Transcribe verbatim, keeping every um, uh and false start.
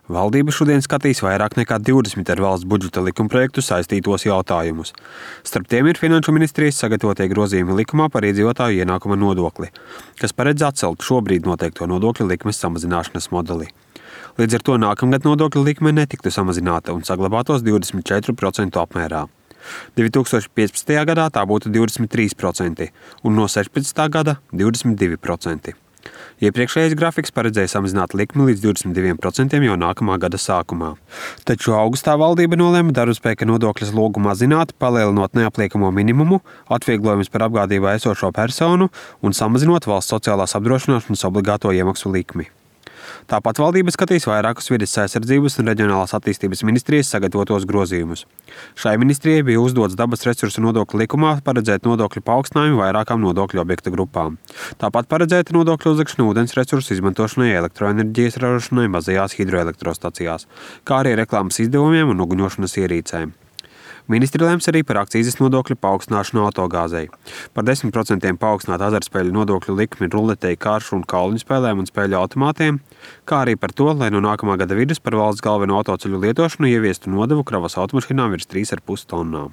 Valdība šodien skatīs vairāk nekā divdesmit ar valsts budžeta likumprojektu saistītos jautājumus. Starp tiem ir Finanšu ministrijas sagatavotie grozījumi likumā par iedzīvotāju ienākuma nodokli, kas paredz atcelt šobrīd noteikto nodokļu likmes samazināšanas modeli. Līdz ar to nākamgad nodokļu likme netiktu samazināta un saglabātos divdesmit četru procentu apmērā. divi tūkstoši piecpadsmitajā gadā tā būtu divdesmit trīs procenti un no sešpadsmitā gada divdesmit divi procenti. Iepriekšējais grafiks paredzēja samazināt likmi līdz divdesmit diviem procentiem jau nākamā gada sākumā. Taču augustā valdība nolēma darbspēka nodokļa slogu mazināt, palielinot neapliekamo minimumu, atvieglojumus par apgādībā esošo personu un samazinot valsts sociālās apdrošināšanas obligāto iemaksu likmi. Tāpat valdība skatīs vairākus vides aizsardzības un reģionālās attīstības ministrijas sagatavotos grozījumus. Šai ministrijai bija uzdots dabas resursu nodokļu likumā paredzēt nodokļu paaugstinājumu vairākām nodokļu objektu grupām. Tāpat paredzēta nodokļu uzlikšana ūdens resursu izmantošanai elektroenerģijas ražošanai mazajās hidroelektrostacijās, kā arī reklāmas izdevumiem un uguņošanas ierīcēm. Ministri lems arī par akcīzes nodokļu paaugstināšanu autogāzei, par desmit procentiem paaugstināt azartspēļu nodokļu likmi ruletei, karšu un kauliņu spēlēm un spēļu automātiem, kā arī par to, lai no nākamā gada vidus par valsts galveno autoceļu lietošanu ieviestu nodevu kravas automašīnām virs trīs ar pus tonnām.